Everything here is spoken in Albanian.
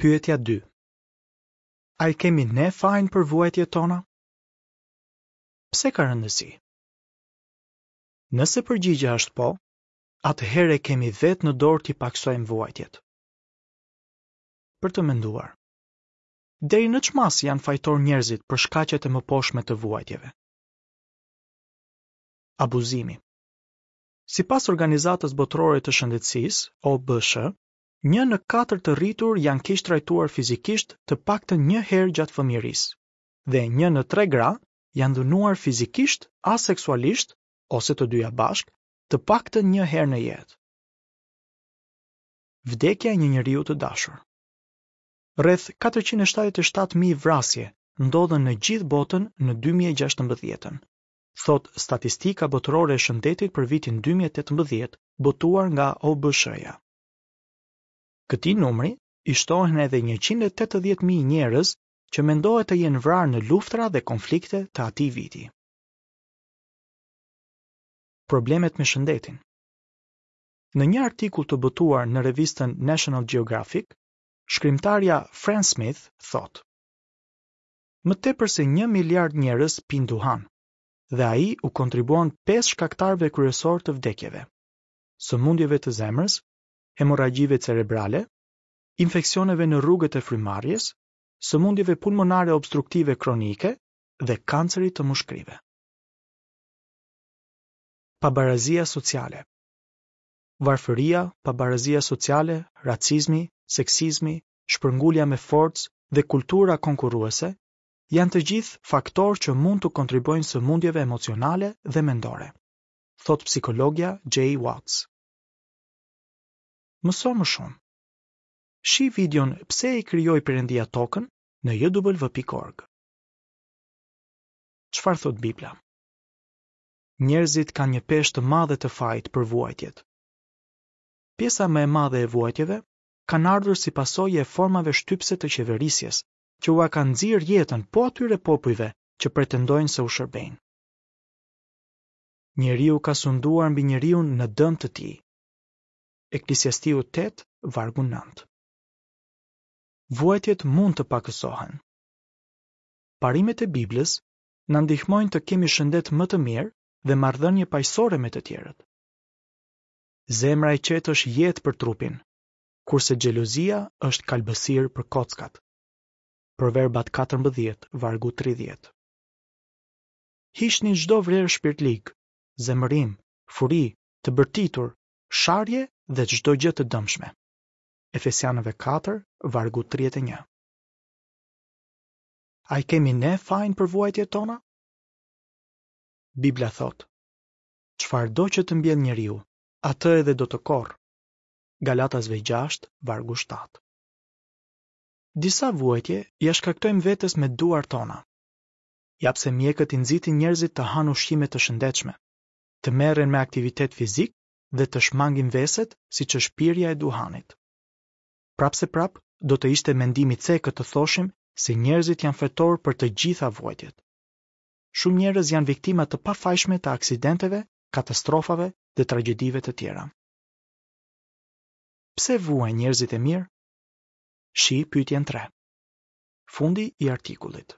Pyetja 2. A e kemi ne fajin për vuajtjet tona? Pse ka rëndësi? Nëse përgjigja është po, atëherë e kemi vetë në dorë t'i pakësojmë vuajtjet. Për të menduar. Deri në ç'masë janë fajtorë njerëzit për shkaqet e mëposhtme të vuajtjeve? Abuzimi. Sipas Organizatës Botërore të Shëndetësisë, OBSH, një në katër të rritur janë keqtrajtuar fizikisht të paktën një herë gjatë fëmijërisë, dhe një në tre gra janë dhunuar fizikisht a seksualisht, ose të dyja bashkë, të paktën një herë në jetë. Vdekja e një njeriu të dashur. Rreth 477.000 vrasje ndodhën në gjithë botën në 2016-ën, thotë Statistika Botërore e Shëndetit për vitin 2018, botuar nga OBSH-ja. Këtij numri i shtohen edhe 180.000 njerëz që mendohet të jenë vrarë në luftëra dhe konflikte të atij viti. Problemet me shëndetin. Në një artikull të botuar në revistën National Geographic, shkrimtarja Fran Smith thotë: Më tepër se një miliard njerëz pinë duhan, dhe ai u kontribuon pesë shkaktarëve kryesorë të vdekjeve: sëmundjeve të zemrës, hemorragjive cerebrale, infeksioneve në rrugët e frymëmarrjes, sëmundjeve pulmonare obstruktive kronike dhe kancerit të mushkërive. Pabarazia sociale. Varfëria, pabarazia sociale, racizmi, seksizmi, shpërngulja me forcë dhe kultura konkurruese janë të gjithë faktorë që mund t'u kontribuojnë sëmundjeve emocionale dhe mendore, thotë psikologja Jay Watts. Mëso më shumë. Shih videon Pse e krijoi Perëndia Tokën në jw.org. Çfarë thotë Bibla? Njerëzit kanë një peshë të madhe të fajit për vuajtjet. Pjesa më e madhe e vuajtjeve kanë ardhur si pasojë e formave shtypëse të qeverisjes, që ua kanë nxirë jetën po atyre popujve që pretendojnë se u shërbejnë. Njeriu ka sunduar mbi njeriun në dëm të tij. Eklesiastiu 8, vargu 9. Vuajtjet mund të pakësohen. Parimet e Biblës na ndihmojnë të kemi shëndet më të mirë dhe marrëdhënie paqësore me të tjerët. Zemra e qetë është jetë për trupin, kurse xhelozia është kalbësirë për kockat. Proverbat 14, vargu 30. Hiqni çdo vlerë shpirtlig, zemërim, furi, të bërtitur, sharje dhe çdo gjë të dëmshme. Efesianëve 4, vargu 31. A e kemi ne fajin për vuajtjet tona? Bibla thotë: Çfarëdo që të mbjellë njeriu, atë edhe do të korrë. Galatasve 6, vargu 7. Disa vuajtje ia shkaktojmë vetes me duart tona. Ja pse mjekët i nxitin njerëzit të hanë ushqime të shëndetshme, të merren me aktivitet fizik dhe të shmangin veset siç është pirja e duhanit. Prapëseprapë, do të ishte mendim i cekët të thoshim se njerëzit janë fajtorë për të gjitha vuajtjet. Shumë njerëz janë viktima të pafajshme të aksidenteve, katastrofave dhe tragjedive të tjera. Pse vuajnë njerëzit e mirë? Shih pyetjen 3. Fundi i artikullit.